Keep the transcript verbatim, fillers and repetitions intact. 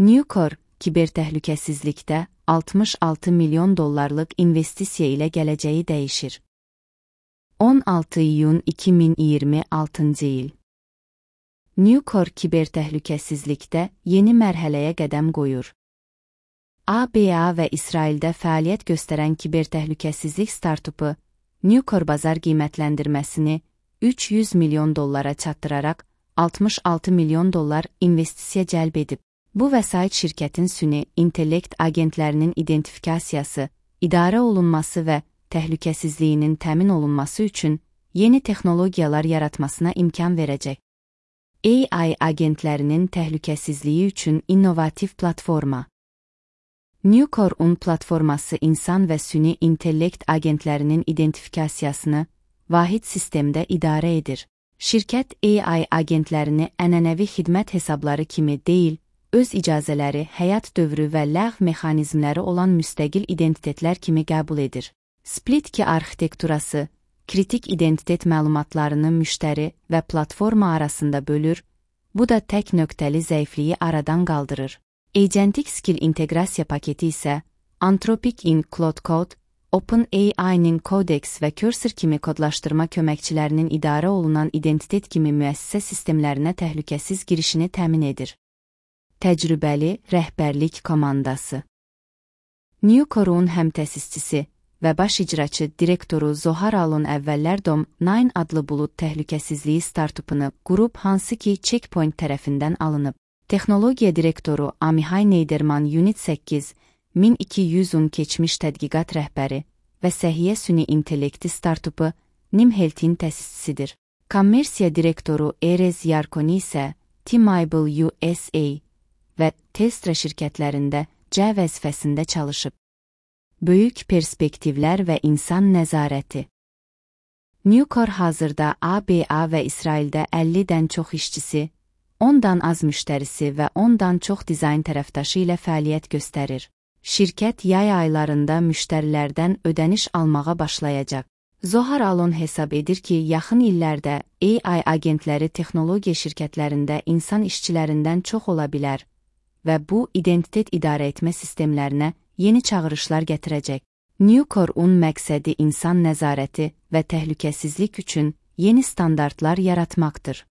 Nucor, kibertəhlükəsizlikdə altmış altı milyon dollarlıq investisiya ilə gələcəyi dəyişir. on altı iyun iki min iyirmi altıncı il. Nucor kibertəhlükəsizlikdə yeni mərhələyə qədəm qoyur. A B A və İsraildə fəaliyyət göstərən kibertəhlükəsizlik startupu, Nucor bazar qiymətləndirməsini üç yüz milyon dollara çatdıraraq altmış altı milyon dollar investisiya cəlb edib. Bu vəsait şirkətin süni intellekt agentlərinin identifikasiyası, idarə olunması və təhlükəsizliyinin təmin olunması üçün yeni texnologiyalar yaratmasına imkan verəcək. A I agentlərinin təhlükəsizliyi üçün innovativ platforma. Nucor-un platforması insan və süni intellekt agentlərinin identifikasiyasını vahid sistemdə idarə edir. Şirkət A I agentlərini ənənəvi xidmət hesabları kimi deyil, öz icazələri, həyat dövrü və ləğv mexanizmləri olan müstəqil identitetlər kimi qəbul edir. Split key arxitekturası, kritik identitet məlumatlarını müştəri və platforma arasında bölür, bu da tək nöqtəli zəifliyi aradan qaldırır. Agentic Skill inteqrasiya paketi isə Anthropic in Cloud Code, OpenAI-nin Codex və Cursor kimi kodlaşdırma köməkçilərinin idarə olunan identitet kimi müəssisə sistemlərinə təhlükəsiz girişini təmin edir. Təcrübəli rəhbərlik komandası. Nucor-un həmtəsisçisi və baş icraçı direktoru Zohar Alon əvvəllər Dom dokuz adlı bulut təhlükəsizliyi startupunu qurub, hansı ki Checkpoint tərəfindən alınıb. Texnologiya direktoru Amihay Neyderman Unit səkkiz min iki yüzün keçmiş tədqiqat rəhbəri və Səhiyyə Süni İntellekti startupu Nimhealth-in təsisçisidir. Kommersiya direktoru Erez Yarkoni isə T-Mobile U S A və Telstra şirkətlərində C vəzifəsində çalışıb. Böyük perspektivlər və insan nəzarəti. Nucor hazırda A B A və İsraildə əllidən çox işçisi, ondan az müştərisi və ondan çox dizayn tərəfdaşı ilə fəaliyyət göstərir. Şirkət yay aylarında müştərilərdən ödəniş almağa başlayacaq. Zohar Alon hesab edir ki, yaxın illərdə A I agentləri texnologiya şirkətlərində insan işçilərindən çox ola bilər və bu identitet idarə etmə sistemlərinə yeni çağırışlar gətirəcək. Nucor-un məqsədi insan nəzarəti və təhlükəsizlik üçün yeni standartlar yaratmaqdır.